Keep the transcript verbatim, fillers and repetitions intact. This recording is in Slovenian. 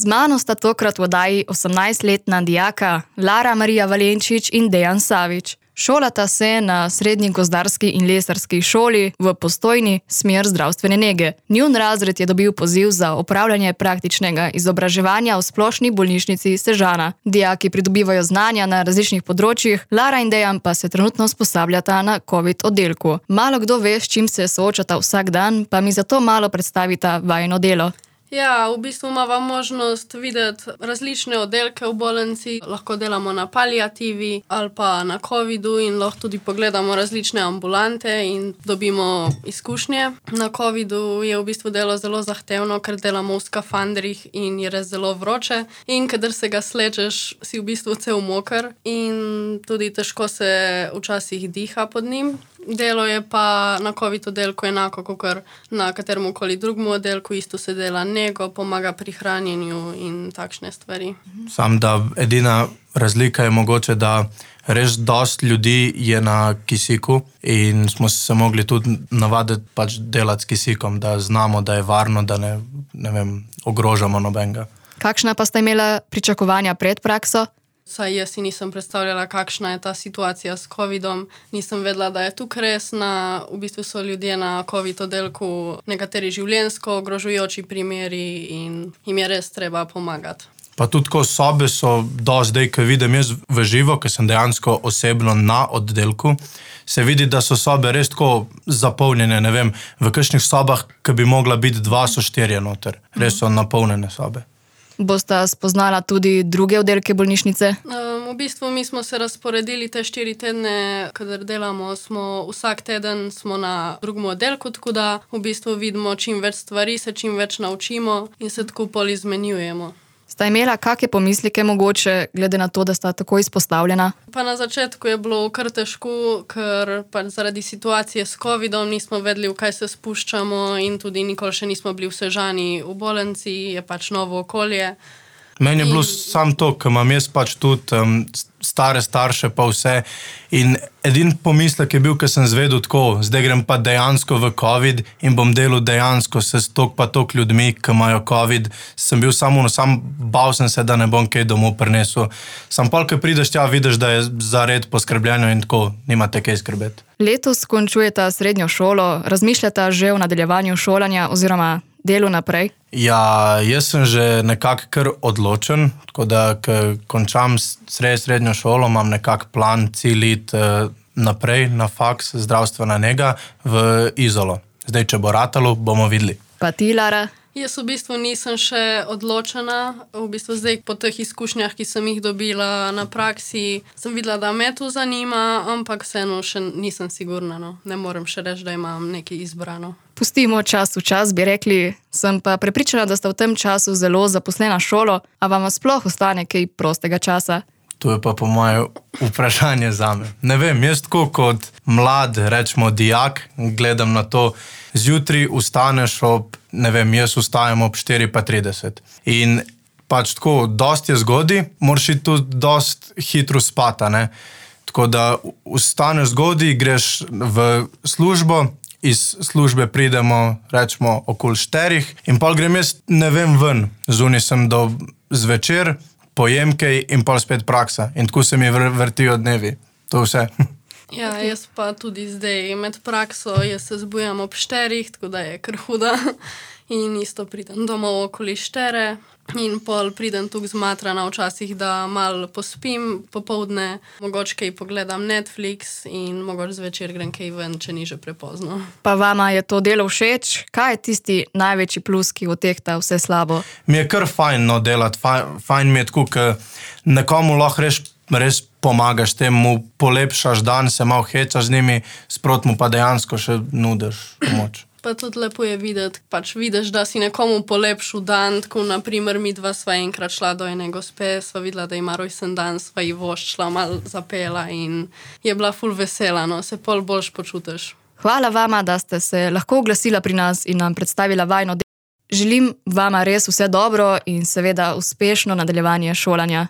Z mano sta tokrat v oddaji osemnajstletna dijaka Lara Marija Valenčič in Dejan Savič. Šolata se na srednji gozdarski in lesarski šoli v Postojni, smer zdravstvene nege. Njun razred je dobil poziv za opravljanje praktičnega izobraževanja v splošni bolnišnici Sežana. Dijaki pridobivajo znanja na različnih področjih, Lara in Dejan pa se trenutno usposabljata na covid oddelku. Malo kdo ve, s čim se soočata vsak dan, pa mi zato malo predstavita vajino delo. Ja, v bistvu imamo možnost videti različne oddelke v bolnici, lahko delamo na paliativi ali pa na covidu in lahko tudi pogledamo različne ambulante in dobimo izkušnje. Na covidu je v bistvu delo zelo zahtevno, ker delamo v skafandrih in je res zelo vroče in kadar se ga slečeš, si v bistvu cel moker in tudi težko se včasih diha pod njim. Delo je pa na covid oddelku enako kot na kateremkoli drugem oddelku, isto se dela nego, pomaga pri hranjenju in takšne stvari. Sam da edina razlika je mogoče, da res dost ljudi je na kisiku in smo se mogli tudi navaditi pač delati s kisikom, da znamo, da je varno, da ne, ne vem, ogrožamo nobenega. Kakšna pa sta imela pričakovanja pred prakso? Saj jaz si nisem predstavljala, kakšna je ta situacija s covidom. Nisem vedela, da je tukaj resna. V bistvu so ljudje na covid oddelku nekateri življenjsko ogrožujoči primeri in jim je res treba pomagati. Pa tudi ko sobe so do zdaj, ko vidim jaz v živo, ko sem dejansko osebno na oddelku, se vidi, da so sobe res tako zapolnjene, ne vem, v kakšnih sobah, ki bi mogla biti dva, so štirje noter. Res so napolnjene sobe. Bosta spoznala tudi druge oddelke bolnišnice? Um, v bistvu mi smo se razporedili te štiri tedne, kadar delamo, smo vsak teden smo na drugem oddelku, tako da v bistvu vidimo čim več stvari, se čim več naučimo in se tako pol izmenjujemo. Sta imela kakšne pomisleke mogoče, glede na to, da sta tako izpostavljena? Pa na začetku je bilo kar težko, ker pa zaradi situacije s covidom nismo vedeli, v kaj se spuščamo in tudi nikoli še nismo bili v Sežani v bolnici, je pač novo okolje. Meni je bilo samo to, ker imam jaz pač tudi um, stare starše pa vse in edin pomislek je bil, ker sem zvedel tako, zdaj grem pa dejansko v covid in bom delal dejansko se s tok pa tok ljudmi, ki imajo covid, sem bil samo, no, sam bal sem se, da ne bom kaj domov prinesel. Sam pol, ko prideš tja, vidiš, da je za red poskrbljeno in tako, nimate kaj skrbeti. Letos končujeta srednjo šolo, razmišljata že o nadaljevanju šolanja oziroma delu naprej? Ja, jaz sem že nekako kar odločen, tako da, ko končam sred, srednjo šolo, imam nekak plan, cilj iti eh, naprej na faks zdravstvena nega v Izolo. Zdaj, če bo ratalo, bomo videli. Pa ti, Lara? Jaz v bistvu nisem še odločena. V bistvu zdaj po teh izkušnjah, ki sem jih dobila na praksi, sem videla, da me to zanima, ampak vseeno še nisem sigurna. No. Ne morem še reči, da imam nekaj izbrano. Pustimo čas v čas, bi rekli. Sem pa prepričana, da sta v tem času zelo zaposlena šolo, a vam sploh ostane kaj prostega časa? To je pa po moje vprašanje zame. Ne vem, jaz tako kot mlad, rečemo dijak, gledam na to, zjutraj vstaneš ob, ne vem, jaz vstajam ob štiri pa trideset. In pač tako, dost je zgodi, moraš iti tudi dost hitro spati, ne. Tako da vstaneš zgodi, greš v službo, iz službe pridemo, rečemo, okoli šterih in pol grem jaz, ne vem, ven. Zunaj sem do zvečer, pojem kaj in pol spet praksa. In tako se mi vrtijo dnevi. To vse. Ja, jaz pa tudi zdaj med prakso, jaz se zbujam ob šterih, tako da je kar huda. In isto pridem domov okoli štere in pol pridem tukaj zmatrana včasih, da malo pospim popoldne, mogoče kaj pogledam Netflix in mogoče zvečer grem kaj ven, če ni že prepozno. Pa vama je to delo všeč? Kaj je tisti največji plus, ki odtehta vse slabo? Mi je kar fajn no delati, fajn, fajn mi je tako, ker nekomu lahko res, res pomagaš temu, polepšaš dan, se malo hecaš z njimi, sprot mu pa dejansko še nudiš pomoč. Pa tudi lepo je videti, pač vidiš, da si nekomu polepšil dan, tako naprimer mi dva sva enkrat šla do ene gospe, sva videla, da ima rojsten dan, sva ji voščila, malo zapela in je bila ful vesela, no, se pol boljš počutiš. Hvala vama, da ste se lahko oglasila pri nas in nam predstavila vajino delo. Želim vama res vse dobro in seveda uspešno nadaljevanje šolanja.